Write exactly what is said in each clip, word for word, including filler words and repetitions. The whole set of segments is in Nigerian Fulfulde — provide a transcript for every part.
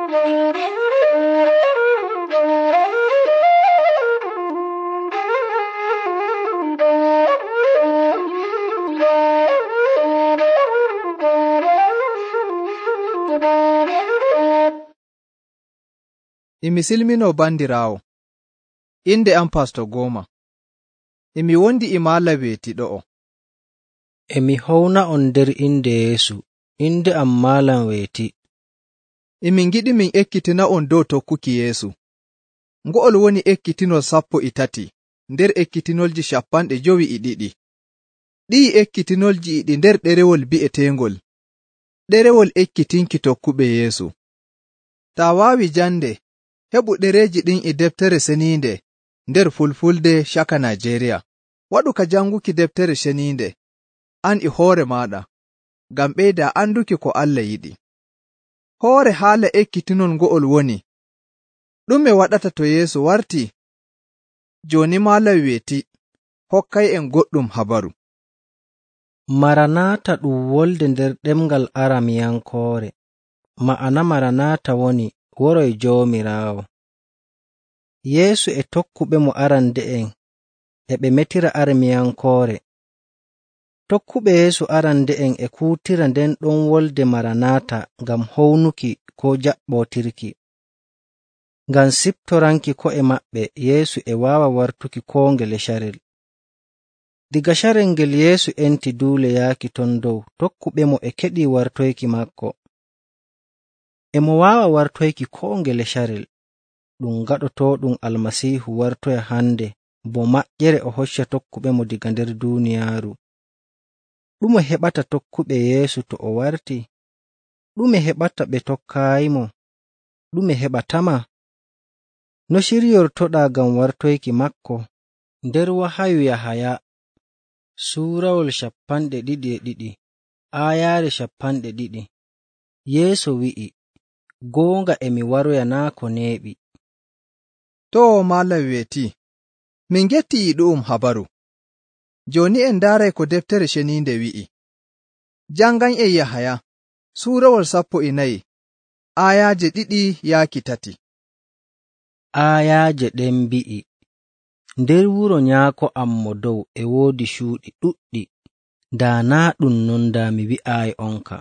Imi silmino bandiraawo, inde am Pasto Goma. Imi wondi e maala weeti ɗo'o. Emi howna on nder inde Yeesu, inde am Maalam weeti. Emi ngiɗi min ekkitina on dow tokkuki Yeesu. Ngo'ol woni ekkitinol sappo e tati nder ekkitinolji cappanɗe jowi e ɗiɗi. Ɗi'i ekkitinolji e ɗi nder ɗerewol bi'eteengol ɗerewol ekkitinki tokkuɓe Yeesu. Taa waawi jande, heɓu ɗereeji ɗin e deftere seniinde nder Fulfulde caka Najeriya. Waɗu ka janguki deftere seniinde, an e hoore maaɗa, ngam ɓeyda anduki ko Allah yiɗi. Hoore haala ekkitinol ngo'ol woni, ɗume waɗata to Yeesu wartii? Jooni Maalam weeti, hokkay'en goɗɗum habaru. Maranata ɗum wolde nder ɗemngal Aramiyankoore. Ma'ana Maranata woni woroy Joomiraawo. Yeesu e tokkuɓe mo arande'en e ɓe metira Aramiyankoore. Tokkuɓe Yeesu arande'en e kuutira nden ɗon wolde Maranata ngam hownuki koo jaɓɓootirki. Ngam siptoranki ko'e maɓɓe, Yeesu e waawa wartuki koo ngele carel. Diga carel ngel Yeesu enti duule yaaki ton dow, tokkuɓe mo e keɗii wartoyki maako. E mo waawa wartoyki koo ngele carel. Ɗum gaɗotooɗum Almasiihu wartoya hande bo maƴƴere o hocca tokkuɓe mo diga nder duuniyaaru. Ɗume heɓata tokkuɓe Yeesu to o wartii? Ɗume heɓata ɓe tokkaayimo? Ɗume heɓatama? No ciryortoɗaa ngam wartoyki maako? Nder Wahayu Yahaya suurawol cappanɗe ɗiɗi e ɗiɗi, aayaare cappanɗe ɗiɗi, Yeesu wi'i, goonga emi waroya naa ko neeɓi. Too Maalam weeti, min ngetti e ɗu'um habaru. Jooni en ndaaray ko deftere ceniinde wi'i. Jangan'en Yahaya suurawol sappo e nayi, aayaaje ɗiɗi yaaki tati. Aayaaje ɗen mbi'i, nder wuro nyaako am mo dow e woodi cuuɗi ɗuɗɗi, daa naa ɗum non daa mi wi'aayi onka.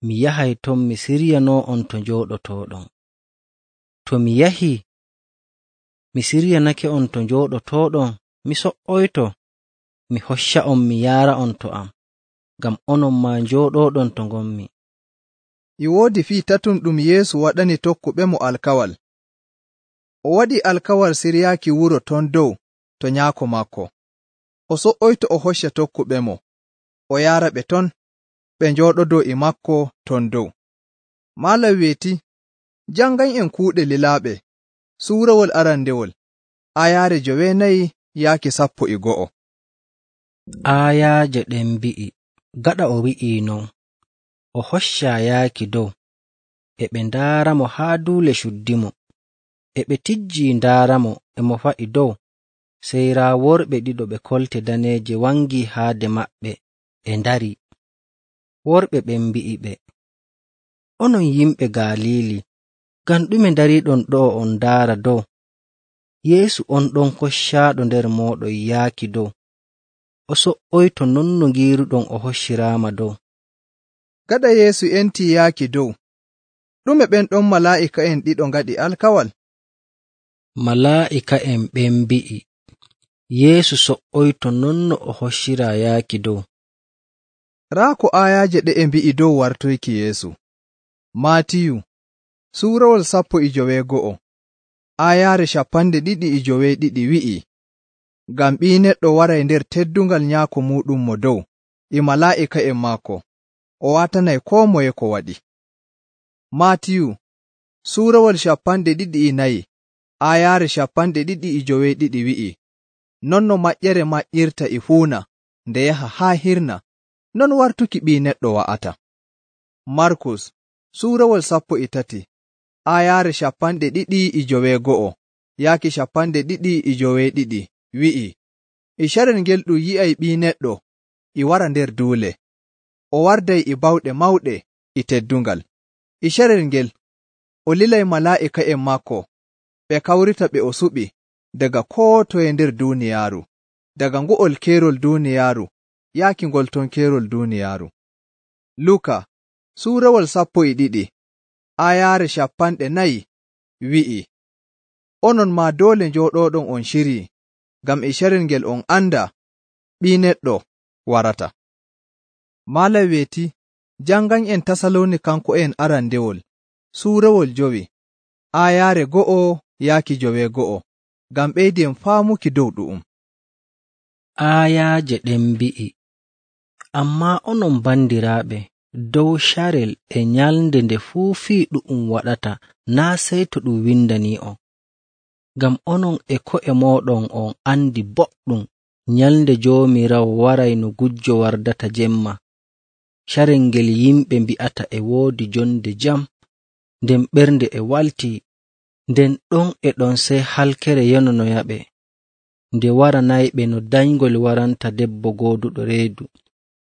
Mi yahay ton mi siryanoo on to njooɗotooɗon. To mi yahii, mi siryanake on to njooɗotooɗon, mi so''oyto, mi hocca on mi yaara on to am, ngam onon maa njooɗooɗon to ngonmi. E woodi fii tatum ɗum Yeesu waɗani tokkuɓe mo alkawal. O waɗi alkawal siryaaki wuro ton dow to nyaako maako. O so''oyto o hocca tokkuɓe mo, o yaara ɓe ton, ɓe njooɗodoo e maako ton dow. Maalam weeti, jangan'en kuuɗe lilaaɓe, suurawol arandewol, aayaare joweenayi yaaki sappo e go'o. Aayaaje ɗen mbi'i, gaɗa o wi'ii non, o hoccaa yaaki dow, e ɓe ndaaramo haa duule cuddimo, e ɓe tijjii ndaaramo e mo fa'i dow, sey raa worɓe ɗiɗo ɓe kolte daneeje wangii haade maɓɓe e ndarii. Worɓe ɓen mbi'i ɓe, onon yimɓe Galiili, ngam ɗume ndariiɗon ɗo'o on ndaara dow? Yeesu on ɗon koccaaɗo nder mooɗon yaaki dow, o so''oyto non no ngiiruɗon o hocciraama dow. Gaɗa Yeesu entii yaaki dow, ɗume ɓen ɗon malaa'ika'en ɗiɗo ngaɗi alkawal? Malaa'ika'en ɓen mbi'i, Yeesu so''oyto non no o hocciraa yaaki dow. Raa ko aayaaje ɗe e mbi'i dow wartoyki Yeesu. Maatiyu suurawol sappo e joweego'o, aayaare cappanɗe ɗiɗi e joweeɗiɗi wi'i, ngam Ɓii Neɗɗo waray nder teddungal nyaako muuɗum mo dow e malaa'ika'en maako, o waatanay koo moye ko waɗi. Maatiyu suurawol cappanɗe ɗiɗi e nayi, aayaare cappanɗe ɗiɗi e joweeɗiɗi wi'i, non no maƴƴere maƴƴirta e fuuna nde yaha haa hirna, non wartuki Ɓii Neɗɗo wa'ata. Markus suurawol sappo e tati, aayaare cappanɗe ɗiɗi e joweego'o yaaki cappanɗe ɗiɗi e joweeɗiɗi wi'i, e carel ngel ɗum yi'ay Ɓii Neɗɗo e wara nder duule, o warday e bawɗe mawɗe e teddungal. E carel ngel o lilay malaa'ika'en maako ɓe kawrita ɓe o suɓi daga koo toye nder duuniyaaru, daga ngo'ol keerol duuniyaaru yaaki ngol ton keerol duuniyaaru. Luka suurawol sappo e ɗiɗi aayaare cappanɗe nayi wi'i, onon maa doole njooɗooɗon on cirii, ngam e carel ngel on anda Ɓii Neɗɗo warata. Maala weeti jangan'en Tasalonikanko'en arandewol suurawol jowi aayaare go'o yaaki joweego'o, ngam ɓeyden faamuki dow ɗu'um. Aayaaje ɗen mbi'i, ammaa onon bandiraaɓe, dow carel e nyalnde nde fuu fii ɗu'um waɗata naa sey to ɗum windanii'on, ngam onon e ko'e mooɗon on andi boɗɗum nyalnde Joomiraawo waray no gujjo wardata jemma, carel ngel yimɓe mbi'ata e woodi jonde jam, nden ɓernde e waltii, nden ɗon e ɗon sey halkere yononoyaɓe, nde waranayɓe no dayngol waranta debbo gooduɗo reedu,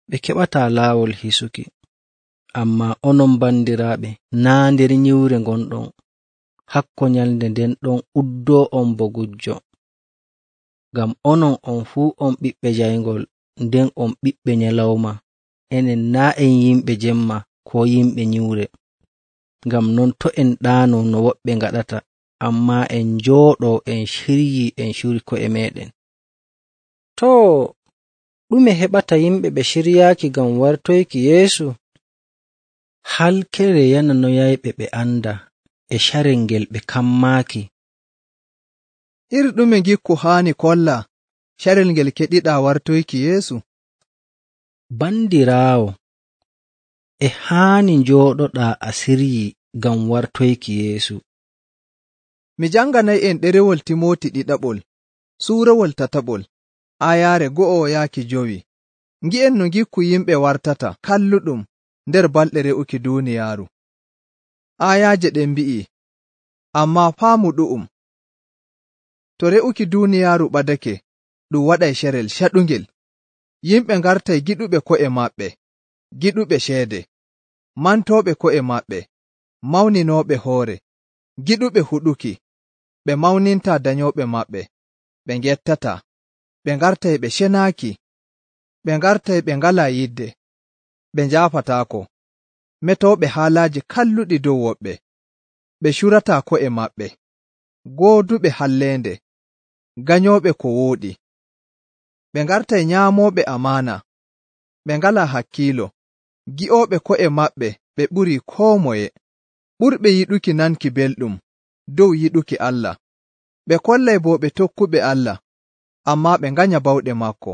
ɓe keɓataa laawol hisuki. Ammaa onon bandiraaɓe, naa nder nyiwre ngonɗon, hakko nyalnde nden ɗon uddoo'on bo gujjo. Ngam onon on fuu on ɓiɓɓe jayngol, nden on ɓiɓɓe nyalawma, enen naa en yimɓe jemma koo yimɓe nyiwre. Ngam non to' en ɗaanoo no woɓɓe ngaɗata, ammaa en njooɗoo en ciryii en curi ko'e meeɗen. Too, ɗume heɓata yimɓe ɓe ciryaaki ngam wartoyki Yeesu? Halkere yananoyayɓe ɓe anda e carel ngel ɓe kammaaki. Iri ɗume ngikku haani kolla carel ngel keɗiɗaa wartoyki Yeesu? Bandiraawo, e haani njooɗoɗaa a siryii ngam wartoyki Yeesu. Mi janganay'en ɗerewol Timooti ɗiɗaɓol suurawol tataɓol aayaare go'o yaaki jowi. Ngi'en no ngikku yimɓe wartata kalluɗum nder balɗe re'uki duuniyaaru. Aayaaje ɗen mbi'i, ammaa faamu ɗu'um. To re'uki duuniyaaru ɓadake, ɗum waɗay carel caɗungel. Yimɓe ngartay giɗuɓe ko'e maɓɓe, giɗuɓe ceede, mantooɓe ko'e maɓɓe, mawninooɓe hoore, giɗuɓe huɗuki, ɓe mawnintaa danyooɓe maɓɓe, ɓe ngettataa, ɓe ngartay ɓe cenaaki, ɓe ngartay ɓe ngalaa yidde, ɓe njaafataako, metooɓe haalaaji kalluɗi dow woɓɓe, ɓe curataa ko'e maɓɓe, gooduɓe halleende, ganyooɓe ko wooɗi, ɓe ngartay nyaamooɓe amaana, ɓe ngalaa hakkiilo, gi'ooɓe ko'e maɓɓe ɓe ɓurii koo moye, ɓurɓe yiɗuki nanki belɗum dow yiɗuki Allah, ɓe kollay boo ɓe tokkuɓe Allah, ammaa ɓe nganya bawɗe maako.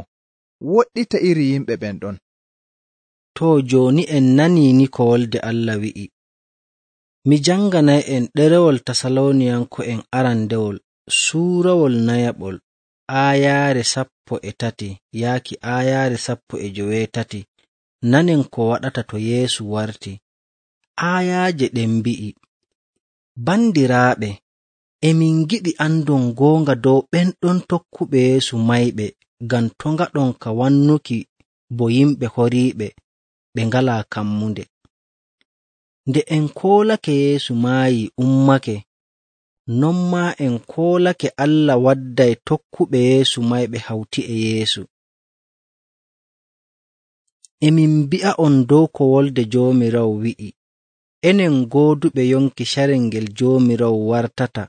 Woɗɗita iri yimɓe ɓen ɗon. Too jooni en nanii ni ko Wolde Allah wi'i. Mi janganay'en ɗerewol Tasaloniyanko'en arandewol suurawol nayaɓol aayaare sappo e tati yaaki aayaare sappo e joweetati. Nanen ko waɗata to Yeesu warti. Aayaaje ɗen mbi'i, bandiraaɓe, emin giɗi andon goonga dow ɓen ɗon tokkuɓe Yeesu mayɓe, ngam to ngaɗon ka wannuki bo yimɓe horiiɓe ɓe ngalaa kammunde. Nde en koolake Yeesu maayi ummake, non maa en koolake Allah wadday tokkuɓe Yeesu mayɓe hawti e Yeesu. Emin mbi'a'on dow ko Wolde Joomiraawo wi'i, enen gooduɓe yonki carel ngel Joomiraawo wartata,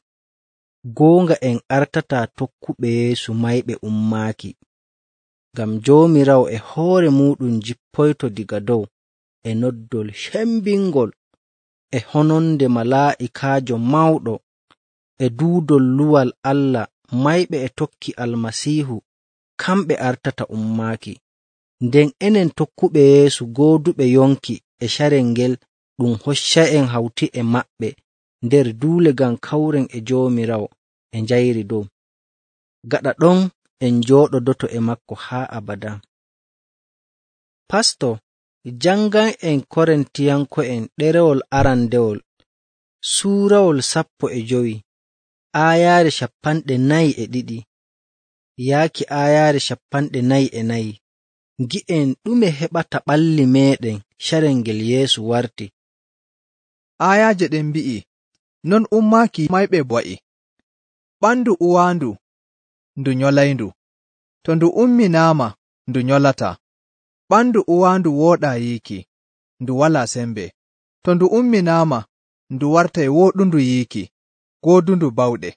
goonga en artataa tokkuɓe Yeesu mayɓe ummaaki. Ngam Joomiraawo e hoore muuɗum jippoyto diga dow e noddol cembingol, e hononde malaa'ikaajo mawɗo, e duudol luwal Allah mayɓe e tokki Almasiihu, kamɓe artata ummaaki. Nden enen tokkuɓe Yeesu gooduɓe yonki e carel ngel ɗum hocca'en hawti e maɓɓe nder duule ngam kawren e Joomiraawo e njayri dow. Gaɗa ɗon en njooɗodoto e makko haa abada. Pasto, jangan'en Korintiyanko'en ɗerewol arandewol suurawol sappo e jowi aayaare cappanɗe nayi e ɗiɗi yaaki aayaare cappanɗe nayi e nayi. Ngi'en ɗume heɓata ɓalli meeɗen carel ngel Yeesu warti. Aayaaje ɗen mbi'i, non ummaaki mayɓe wa'i. Ɓandu uwaandu ndu nyolayndu, to ndu umminaama ndu nyolataa. Ɓandu uwaandu wooɗaa yiiki, ndu walaa sembe. To ndu umminaama ndu wartay wooɗundu yiiki, goodundu bawɗe.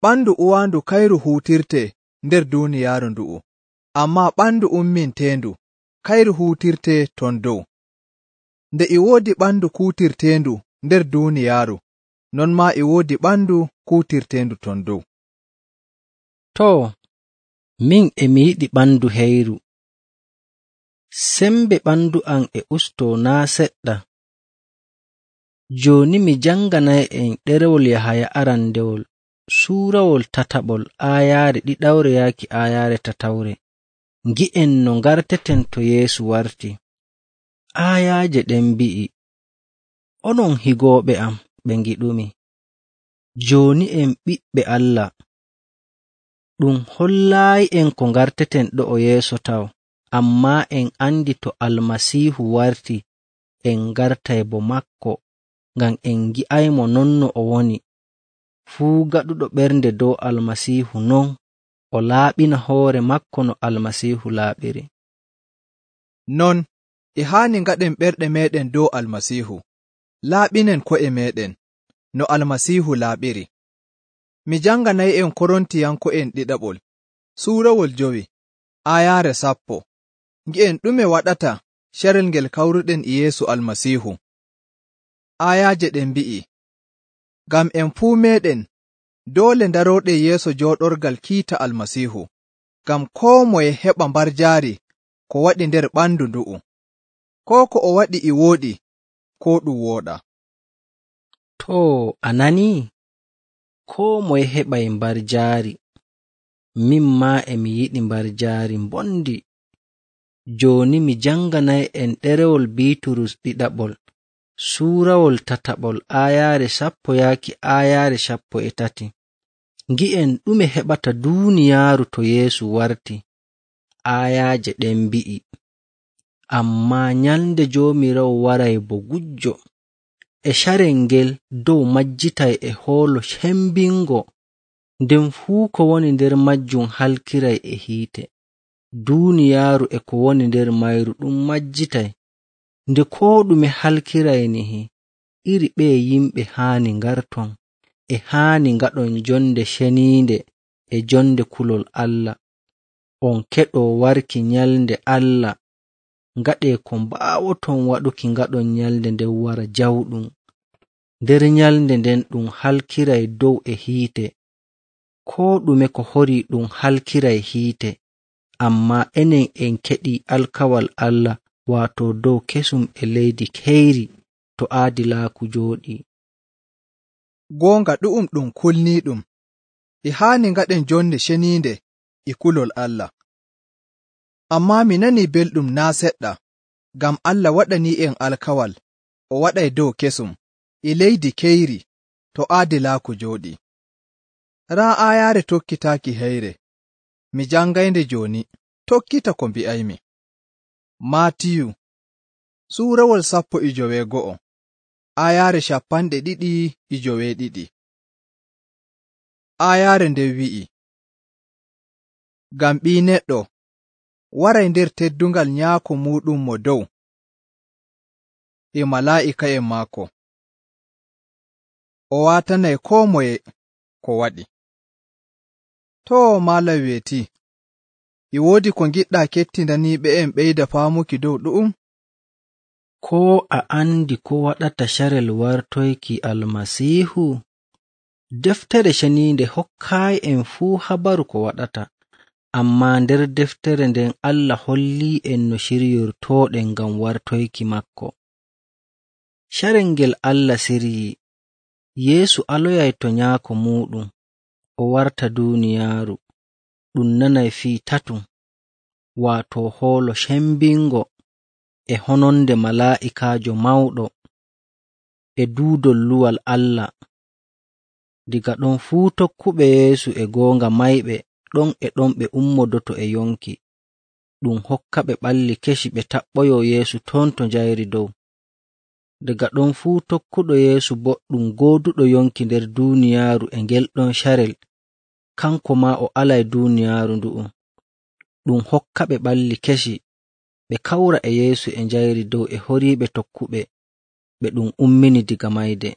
Ɓandu uwaandu kayru huutirtee nder duuniyaaru ndu'u, ammaa ɓandu umminteendu kayru huutirtee ton dow. Nde e woodi ɓandu kuutirteendu nder duuniyaaru, non maa e woodi ɓandu kuutirteendu ton dow. Too, min e mi yiɗi ɓandu heyru. Sembe ɓandu am e ustoo naa seɗɗa. Jooni mi janganay'en ɗerewol Yahaya arandewol suurawol tataɓol aayaare ɗiɗawre yaaki aayaare tatawre. Ngi'en no ngarteten to Yeesu warti. Aayaaje ɗen mbi'i, onon higooɓe am ɓe ngiɗumi, jooni en ɓiɓɓe Allah. Ɗum hollaayi'en ko ngarteten ɗo'o yeeso taw, ammaa en andi to Almasiihu warti en ngartay bo makko, ngam en ngi'aymo non no o woni. Fuu gaɗuɗo ɓernde dow Almasiihu non o laaɓina hoore makko no Almasiihu laaɓiri. Non, e haani ngaɗen ɓerɗe meeɗen dow Almasiihu, laaɓinen ko'e meeɗen no Almasiihu laaɓiri. Mi janganay'en Korontiyanko'en ɗiɗaɓol, suurawol jowi, aayaare sappo. Ngi'en ɗume waɗata carel ngel kawruɗen e Yeesu Almasiihu. Aayaaje ɗen mbi'i, ngam en fuu meeɗen doole ndarooɗen yeeso jooɗorgal kiita Almasiihu, ngam koo moye heɓa mbarjaari ko waɗi nder ɓandu ndu'u, koo ko o waɗi e wooɗi, koo ɗum wooɗaa. Too, a nanii? Koo moye heɓay mbarjaari. Min maa e mi yiɗi mbarjaari mbondi. Jooni mi janganay'en ɗerewol Biiturus ɗiɗaɓol, suurawol tataɓol aayaare sappo yaaki aayaare sappo e tati. Ngi'en ɗume heɓata duuniyaaru to Yeesu warti. Aayaaje ɗen mbi'i, ammaa nyalnde Joomiraawo waray bo gujjo, e carel ngel dow majjitay e hoolo cembingo, nden fuu ko woni nder majjum halkiray e hiite. Duuniyaaru e ko woni nder mayru ɗum majjitay. Nde koo ɗume halkiray nihi, iri ɓeye yimɓe haani ngarton, e haani ngaɗon jonde ceniinde e jonde kulol Allah. On keɗoo warki nyalnde Allah, ngaɗee ko mbaawoton waɗuki ngaɗon nyalnde nden wara jawɗum. Nder nyalnde nden ɗum halkiray dow e hiite, koo ɗume ko horii ɗum halkiray hiite, ammaa enen en keɗii alkawal Allah, waato dow kesum e leydi keyri to aadilaaku jooɗii. Goonga ɗu'um ɗum kulniiɗum, e haani ngaɗen jonde ceniinde e kulol Allah. Ammaa mi nanii belɗum naa seɗɗa, ngam Allah waɗanii'en alkawal o waɗay dow kesum e leydi keyri to aadilaaku jooɗii. Raa aayaare tokkitaaki heyre, mi jangaynde jooni, tokkita ko mbi'aymi. Maatiyu suurawol sappo e joweego'o, aayaare cappanɗe ɗiɗi e joweeɗiɗi. Aayaare nden wi'i, ngam Ɓii Neɗɗo waray nder teddungal Nyaako muuɗum mo dow e malaa'ika'en maako. O waatanay koo moye ko waɗi. Too, maalam weetii, e woodi ko ngiɗɗaa kettindaniiɓe'en ɓeyda faamuki dow ɗu'um? Koo a andi ko waɗata carel wartoyki Almasiihu? Deftere ceniinde hokkaayi'en fuu habaru ko waɗata, ammaa nder deftere nden Allah hollii'en no ciryortooɗen ngam wartoyki makko. Carel ngel Allah siryii, Yeesu aloyay to Nyaako muuɗum, o warta duuniyaaru, ɗum nanay fii tatum, waato hoolo cembingo, e hononde malaa'ikaajo mawɗo, e duudol luwal Allah. Diga ɗon fuu tokkuɓe Yeesu e goonga mayɓe ɗon e ɗon ɓe ummodoto e yonki, ɗum hokka ɓe ɓalli kesi ɓe taɓɓoyo Yeesu ton to njayri dow. Daga ɗon fuu tokkuɗo Yeesu boɗɗum gooduɗo yonki nder duuniyaaru e ngel ɗon carel, kanko maa o alay duuniyaaru ndu'um. Ɗum hokkaɓe ɓalli kesi ɓe kawra e Yeesu e njayri dow e horiiɓe tokkuɓe ɓe ɗum ummini diga mayde.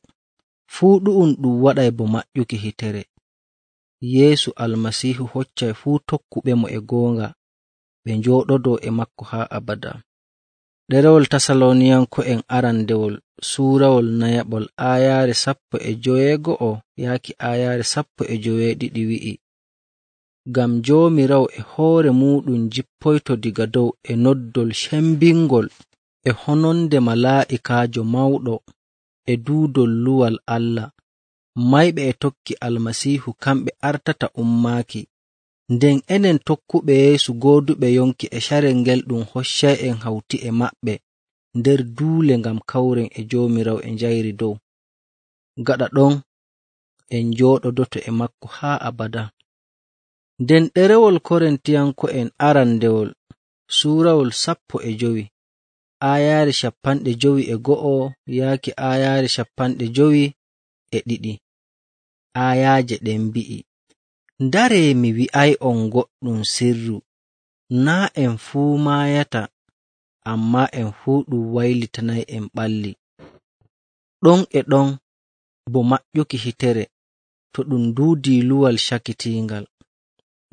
Fuu ɗu'um ɗum waɗay bo maƴƴuki hitere. Yeesu Almasiihu hoccay fuu tokkuɓemo e goonga ɓe njooɗodoo e maako haa abada. Ɗerewol Tasaloniyanko'en arandewol suurawol nayaɓol aayaare sappo e joweego'o yaaki aayaare sappo e joweeɗiɗi wi'i, ngam Joomiraawo e hoore muuɗum jippoyto diga dow e noddol cembingol e hononde malaa'ikaajo mawɗo e duudol luwal Allah. Mayɓe e tokki Almasiihu kamɓe artata ummaaki, nden enen tokkuɓe Yeesu gooduɓe yonki e carel ngel ɗum hoccay'en hawti e maɓɓe nder duule ngam kawren e Joomiraawo e njayri dow. Gaɗa ɗon en njooɗodoto e maako haa abada. Nden ɗerewol Korintiyanko'en arandewol suurawol sappo e jowi aayaare cappanɗe jowi e go'o yaaki aayaare cappanɗe jowi e ɗiɗi. Aayaaje ɗen mbi'i, ndaree mi wi'ay'on goɗɗum sirru, naa' en fuu maayata, ammaa en fuu ɗum waylitanay'en ɓalli. Ɗon e ɗon bo maƴƴuki hitere to ɗum duudii luwal cakitiingal.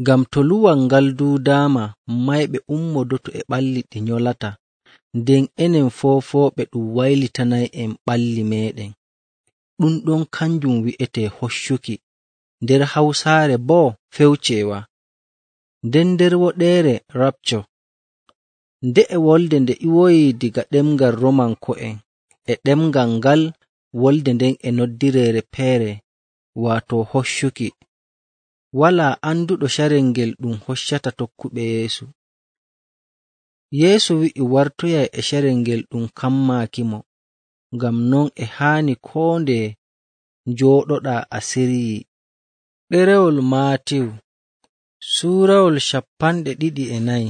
Ngam to luwal ngal duudaama, mayɓe ummodoto e ɓalli ɗi nyolata, nden enen foofooɓe ɗum waylitanay'en ɓalli meeɗen. Ɗum ɗon kanjum wi'etee hoccuki, nder Hawsaare boo fewceewa, nden nder woɗeere rapture. Nde'e wolde nde iwoyii diga ɗemngal Romanko'en, e ɗemngal ngal wolde nden e noddireere feere, waato hoccuki. Walaa anduɗo carel ngel ɗum hoccata tokkuɓe Yeesu. Yeesu wi'i wartoyay e carel ngel ɗum kammaakimo, ngam non e haani koo ndeye njooɗoɗaa a siryii. Ɗerewol Maatiyu suurawol cappanɗe ɗiɗi e nayi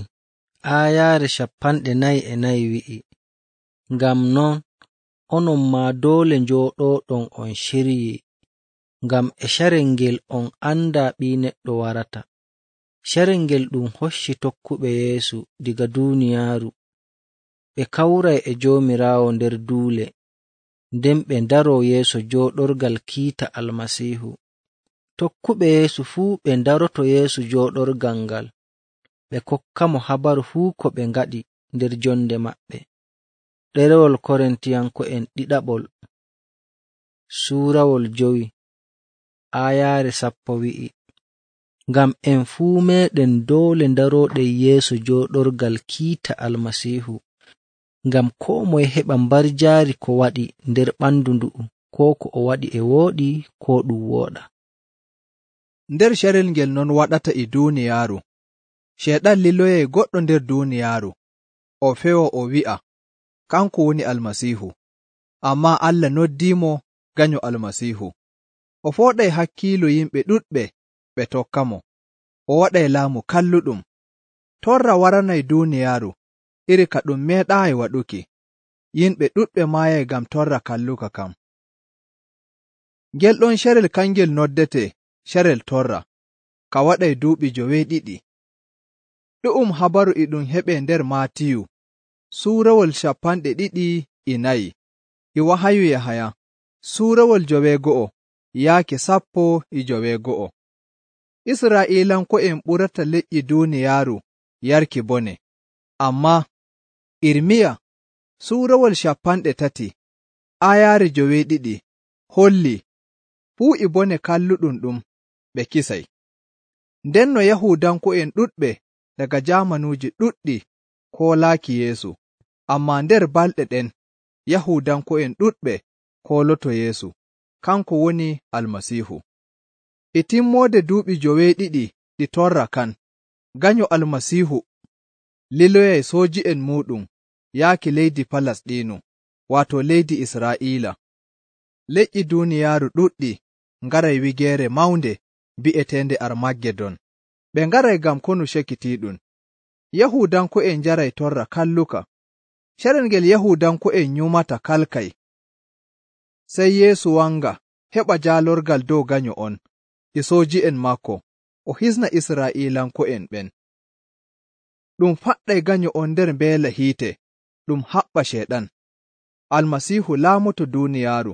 aayaare cappanɗe nayi e nayi wi'i, ngam non onon maa doole njooɗooɗon on ciryii, ngam e carel ngel on andaa Ɓii Neɗɗo warata. Carel ngel ɗum hocci tokkuɓe Yeesu diga duuniyaaru ɓe kawray e Joomiraawo nder duule, nden ɓe ndaroo yeeso jooɗorgal kiita Almasiihu. Tokkuɓe Yeesu fuu ɓe ndaroto yeeso jooɗorgal ngal, ɓe kokkamo habaru fuu ko ɓe ngaɗi nder jonde maɓɓe. Ɗerewol Korintiyanko'en ɗiɗaɓol suurawol jowi aayaare sappo wi'i, ngam en fuu meeɗen doole ndarooɗen yeeso jooɗorgal kiita Almasiihu, ngam koo moye heɓa mbarjaari ko waɗi nder ɓandu ndu'u, koo ko o waɗi e wooɗi koo ɗum wooɗa. Nder carel ngel non waɗata e duuniyaaru, Ceeɗan liloyay goɗɗo nder duuniyaaru, o fewo o wi'a, kanko woni Almasiihu, ammaa Allah noddiimo ganyo Almasiihu. O fooɗay hakkiilo yimɓe ɗuɗɓe ɓe tokkamo, o waɗay laamu kalluɗum. Torra waranay duuniyaaru iri ka ɗum meeɗaayi waɗuki, yimɓe ɗuɗɓe maayay ngam torra kalluka kam. Ngel ɗon carel kangel noddetee carel torra, ka waɗay duuɓi joweeɗiɗi. Ɗu'um habaru e ɗum heɓee nder Maatiyu suurawol cappanɗe ɗiɗi e nayi, e wahayu Yahaya suurawol joweego'o yaake sappo e joweego'o. Israa'iilanko'en ɓurata leƴƴi duuniyaaru yarki bone, ammaa Irmiya suurawol cappanɗe tati aayaare joweeɗiɗi holli fuu e bone kalluɗum ɗum ɓe kisay. Ndenno Yahuudanko'en ɗuɗɓe daga jaamanuuji ɗuɗɗi koolaaki Yeesu, ammaa nder balɗe ɗen Yahuudanko'en ɗuɗɓe kooloto Yeesu, kanko woni Almasiihu. E timmoode duuɓi joweeɗiɗi ɗi torra kan, ganyo Almasiihu liloyay sooji'en muuɗum yaaki leydi Falasɗiinu, waato leydi Israa'iila. Leƴƴi duuniyaaru ɗuɗɗi ngaray wigeere mawnde bi'eteende Armageddon. Ɓe ngaray ngam konu cekitiiɗum. Yahuudanko'en njaray torra kalluka. Carel ngel Yahuudanko'en nyumata kalkay Sey Yeesu wanga heɓa jaalorgal dow ganyo on e sooji'en maako o hisna Israa'iilanko'en ɓen. Ɗum faɗɗay ganyo on nder mbeela hiite ɗum haɓɓa Ceyɗan. Almasiihu laamoto duuniyaaru,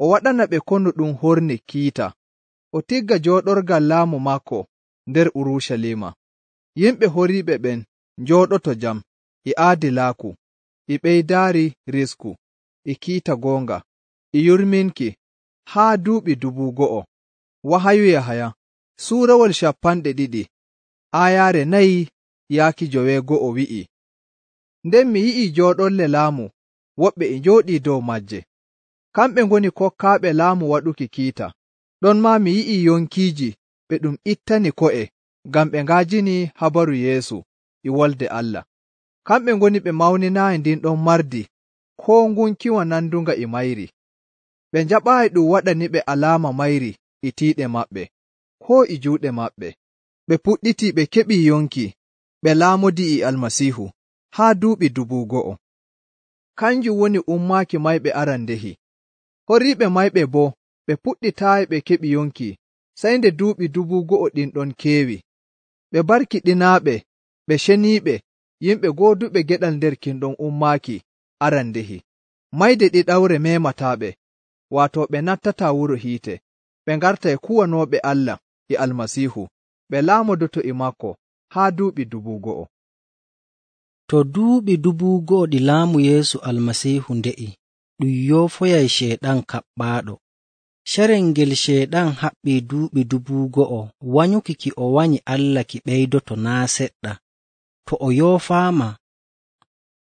o waɗana ɓe konu ɗum horni kiita, o tigga jooɗorgal laamu maako nder Urucaliima. Yimɓe horiiɓe ɓen njooɗoto jam e aadilaaku, e ɓeydaari risku, e kiita goonga, e yurminki haa duuɓi dubu go'o. Wahayu Yahaya suurawol cappanɗe ɗiɗi aayaare nayi yaaki joweego'o wi'i, nden mi yi'ii jooɗolle laamu woɓɓe e njooɗii dow majje. Kamɓe ngoni kokkaaɓe laamu waɗuki kiita. Ɗon maa mi yi'ii yonkiiji ɓe ɗum ittani ko'e ngam ɓe nga'ajini habaru Yeesu e Wolde Allah. Kamɓe ngoni ɓe mawninaayi ndin ɗon mardi koo ngunkiwa nandunga e mayri. Ɓe njaɓaayi ɗum waɗaniɓe alaama mayri e tiiɗe maɓɓe, koo e juuɗe maɓɓe. Ɓe puɗɗitii ɓe keɓii yonki, ɓe laamodii e Almasiihu haa duuɓi dubu go'o. Kanjum woni ummaaki mayɓe arandehi. Horiiɓe mayɓe boo ɓe puɗɗitaayi ɓe keɓi yonki sey nde duuɓi dubu go'o ɗin ɗon keewi. Ɓe barkiɗinaaɓe, ɓe ceniiɓe, yimɓe gooduɓe geɗal nder kin ɗon ummaaki arandehi. Mayde ɗiɗawre meemataaɓe, waato ɓe nattataa wuro hiite, ɓe ngartay kuwanooɓe Allah e Almasiihu, ɓe laamodoto e maako haa duuɓi dubu go'o. To duuɓi dubu go'o ɗi laamu Yeesu Almasiihu nde'i, ɗum yoofoyay Ceyɗan kaɓɓaaɗo. Carel ngel Ceyɗan haɓɓii duuɓi dubu go'o wanyuki ki o wanyi Allah ki ɓeydoto naa seɗɗa. To o yoofaama,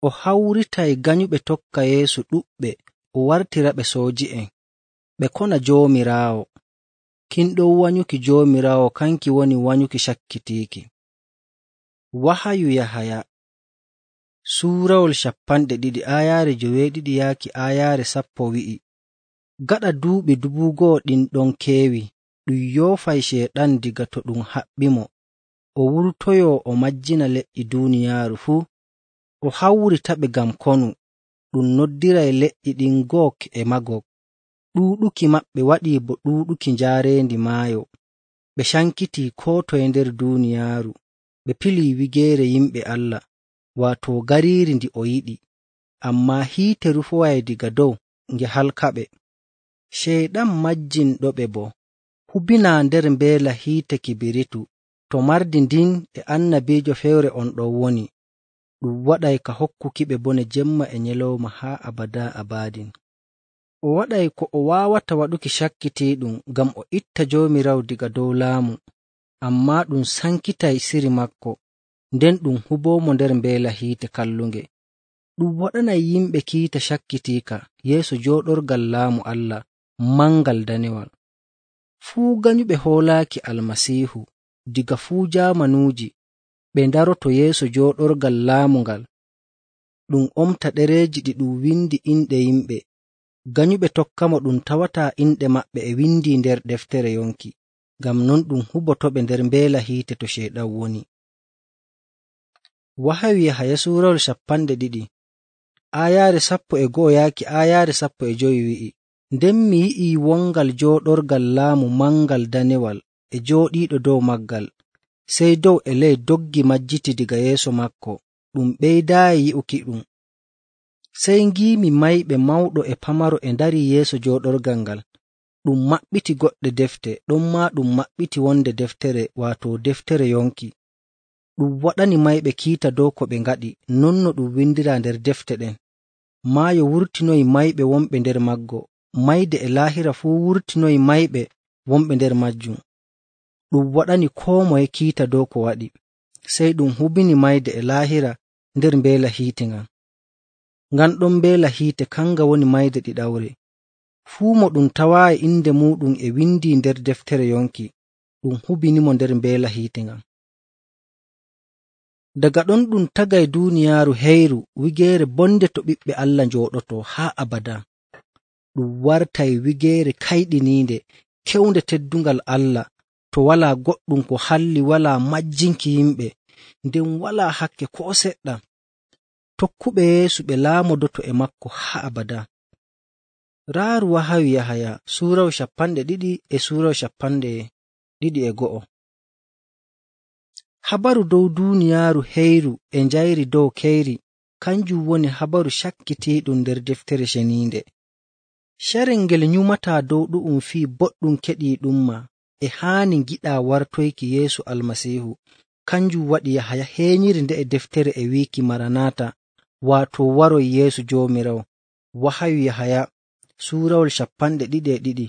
o hawritay ganyuɓe tokka Yeesu ɗuɗɓe o wartiraɓe sooji'en, ɓe kona Joomiraawo. Kin ɗon wanyuki Joomiraawo kanki woni wanyuki cakkitiiki. Wahayu Yahaya suurawol cappanɗe ɗiɗi aayaare joweeɗiɗi yaaki aayaare sappo wi'i, gaɗa duuɓi dubu go'o ɗin ɗon keewi, ɗum yoofay Ceyɗan diga to ɗum haɓɓimo, o wurtoyo o majjina leƴƴi duuniyaaru fuu, o hawritaɓe ngam konu. Ɗum noddiray leƴƴi ɗin Gog e Magog. Ɗuuɗuki maɓɓe waɗii bo ɗuuɗuki njaareendi maayo. Ɓe cankitii koo toye nder duuniyaaru, ɓe pilii wigeere yimɓe Allah, waato gariiri ndi o yiɗi, ammaa hiite rufoway diga dow nge halkaɓe. Ceyɗan majjinɗoɓe boo hubinaa nder mbeela hiite kibiritu, to mardi ndin e annabiijo fewre on ɗon woni. Ɗum waɗay ka hokkukiɓe bone jemma e nyalawma haa abadaa abadin. O waɗay ko o waawata waɗuki cakkitiiɗum ngam o itta Joomiraawo diga dow laamu, ammaa ɗum sankitay siri makko, nden ɗum huboomo nder mbeela hiite kallunge. Ɗum waɗanay yimɓe kiita cakkitiika yeeso jooɗorgal laamu Allah mangal danewal. Fuu ganyuɓe hoolaaki Almasiihu diga fuu jaamanuuji, ɓe ndaroto yeeso jooɗorgal laamu ngal. Ɗum omta ɗereeji ɗi ɗum windi inɗe yimɓe. Ganyuɓe tokkamo ɗum tawataa inɗe maɓɓe e windi nder deftere yonki, ngam non ɗum hubotoɓe nder mbeela hiite to Ceyɗan woni. Wahayu Yahaya suurawol cappanɗe ɗiɗi aayaare sappo e go'o yaaki aayaare sappo e jowi wi'i, nden mi yi'ii wongal jooɗorgal laamu mangal danewal e jooɗiiɗo dow maggal, sey dow e ley doggi majjiti diga yeeso makko, ɗum ɓeydaayi yi'uki ɗum. Sey ngiimi mayɓe mawɗo e pamaro e ndarii yeeso jooɗorgal ngal. Ɗum maɓɓiti goɗɗe defte, ɗon maa ɗum maɓɓiti wonde deftere, waato deftere yonki. Ɗum waɗani mayɓe kiita dow ko ɓe ngaɗi, non no ɗum windiraa nder defte ɗen. Maayo wurtinoyi mayɓe wonɓe nder maggo, mayde e laahira fuu wurtinoyi mayɓe wonɓe nder majjum. Ɗum waɗani koo moye kiita dow ko waɗi, sey ɗum hubini mayde e laahira nder mbeela hiite ngan. Ngan ɗon mbeela hiite kanga woni mayde ɗiɗawre. Fuu mo ɗum tawaayi inde muuɗum e windi nder deftere yonki, ɗum hubinimo nder mbeela hiite ngan. Daga ɗon ɗum tagay duuniyaaru heyru wigeere bonde to ɓiɓɓe Allah njooɗoto haa abada. Ɗum wartay wigeere kayɗiniinde, kewnde teddungal Allah, to walaa goɗɗum ko halli, walaa majjinki yimɓe, nden walaa hakke koo seɗɗa. Tokkuɓe Yeesu ɓe laamodoto e makko haa abada. Raaru wahayu Yahaya suurawo cappanɗe ɗiɗi e suurawo cappanɗe ɗiɗi e go'o. Habaru dow duuniyaaru heyru e njayri dow keyri kanjum woni habaru cakkitiiɗum nder deftere ceniinde. Carel ngel nyumataa dow ɗu'um fii boɗɗum keɗiiɗumma e haani giɗaa wartoyki Yeesu Almasiihu. Kanjum waɗi Yahaya heenyiri nde'e deftere e wiiki Maranata, waato waroy Yeesu Joomiraawo. Wahayu Yahaya suurawol cappanɗe ɗiɗi e ɗiɗi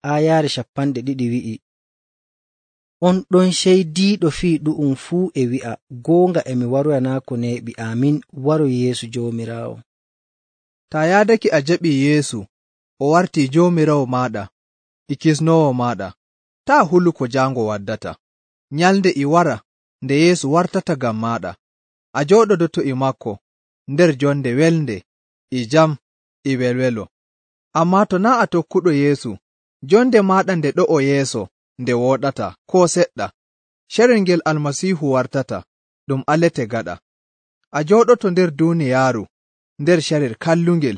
aayaare cappanɗe ɗiɗi wi'i, on ɗon ceydiiɗo fii ɗu'um fuu e wi'a, goonga e mi waroyanaako neeɓi. Amin. Waroy Yeesu Joomiraawo. Taa yaadake a jaɓii Yeesu o wartii Joomiraawo maaɗa e kisnoowo maaɗa, taa hulu ko jaango waddata. Nyalnde e wara nde Yeesu wartata ngam maaɗa. A jooɗodoto e maako nder jonde welnde e jam e welwelo. Ammaa to naa' a tokkuɗo Yeesu, jonde maaɗa nde ɗo'o yeeso nde wooɗata koo seɗɗa. Carel ngel Almasiihu wartata ɗum alete gaɗa. A jooɗoto nder duuniyaaru nder carel kallungel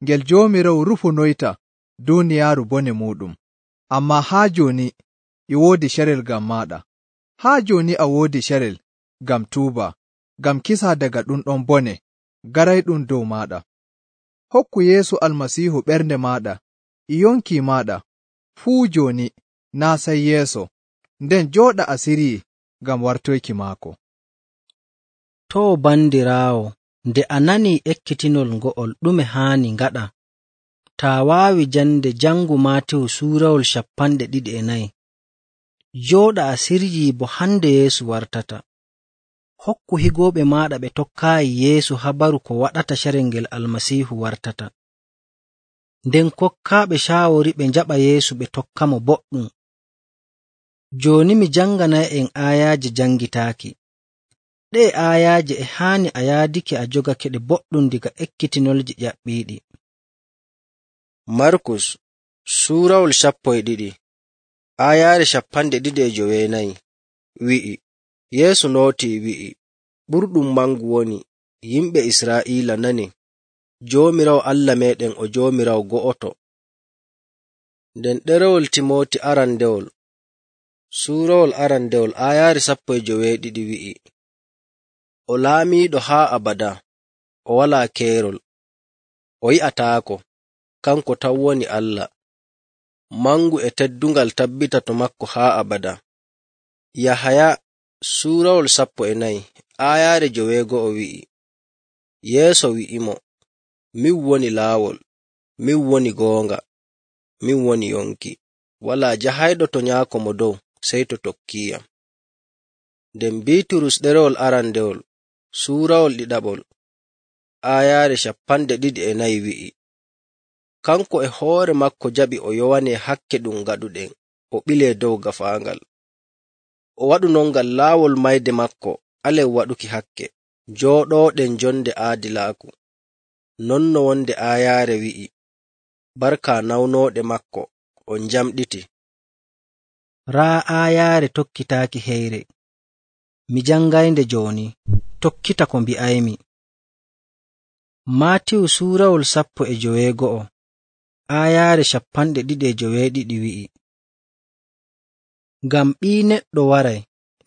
ngel Joomiraawo rufunoyta duuniyaaru bone muuɗum. Ammaa haa jooni e woodi carel ngam maaɗa. Haa jooni a woodi carel ngam tuuba, ngam kisa daga ɗum ɗon bone garayɗum dow maaɗa. Hokku Yeesu Almasiihu ɓernde maaɗa e yonki maaɗa fuu jooni naa sey yeeso, nden jooɗa asiri ngam wartoyki maako. Too bandiraawo, nde a nanii ekkitinol ngo'ol ɗume haani ngaɗa? Taa waawi jande jangu Maatiyu suurawol cappanɗe ɗiɗi e nayi. Jooɗa asirji bo hande Yeesu wartata. Hokku higooɓe maaɗa ɓe tokkaayi Yeesu habaru ko waɗata carel ngel Almasiihu wartata. Nden kokkaaɓe caawori ɓe njaɓa Yeesu ɓe tokkamo boɗɗum. Jooni mi janganay'en aayaaje jangitaaki. Ɗee aayaaje e haani a yaadake a jogake ɗe boɗɗum diga ekkitinolji ƴaɓɓiiɗi. Markus suurawol sappo e ɗiɗi aayaare cappanɗe ɗiɗi e joweenayi wi'i, Yeesu nootii wi'i, ɓurɗum mangu woni, yimɓe Israa'iila nani, Joomiraawo Allah meeɗen o Joomiraawo go'oto. Nden ɗerewol Timooti arandewol suurawol arandewol aayaare sappo e joweeɗiɗi wi'i, o laamiiɗo haa abada, o walaa keerol, o yi'ataako, kanko tan woni Allah, mangu e teddungal tabbita to makko haa abada. Yahaya suurawol sappo e nayi aayaare joweego'o wi'i, Yeeso wi'imo, min woni laawol, min woni goonga, min woni yonki, walaa jahayɗo to nyaako mo dow sey to tokkiiyam. Nden Biiturus ɗerewol arandewol suurawol ɗiɗaɓol aayaare cappanɗe ɗiɗi e nayi wi'i, kanko e hoore makko jaɓi o yowanee hakke ɗum gaɗuɗen o ɓilee dow gafaangal. O waɗu non ngam laawol mayde makko alen waɗuki hakke, jooɗooɗen jonde aadilaaku. Non no wonde aayaare wi'i, barka nawnooɗe makko on jamɗiti. Raa aayaare tokkitaaki heyre. Mi jangaynde jooni, tokkita ko mbi'aymi. Maatiyu suurawol sappo e joweego'o aayaare cappanɗe ɗiɗi e joweeɗiɗi wi'i, ngam Ɓii Neɗɗo waray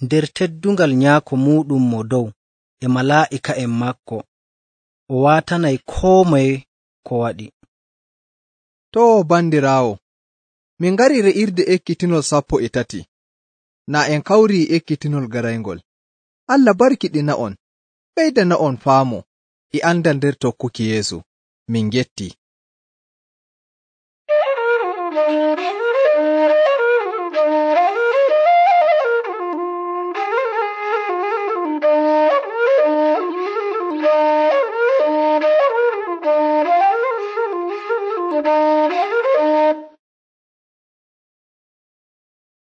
nder teddungal nyaako muuɗum mo dow e malaa'ika'en maako, o waatanay koo moye ko waɗi. Too bandiraawo, min ngari re'irde ekkitinol sappo e tati. Na en kawrii ekkitinol garayngol. Allah barkiɗina'on, ɓeydana'on faamo e andal nder tokkuki Yeesu. Min gettii.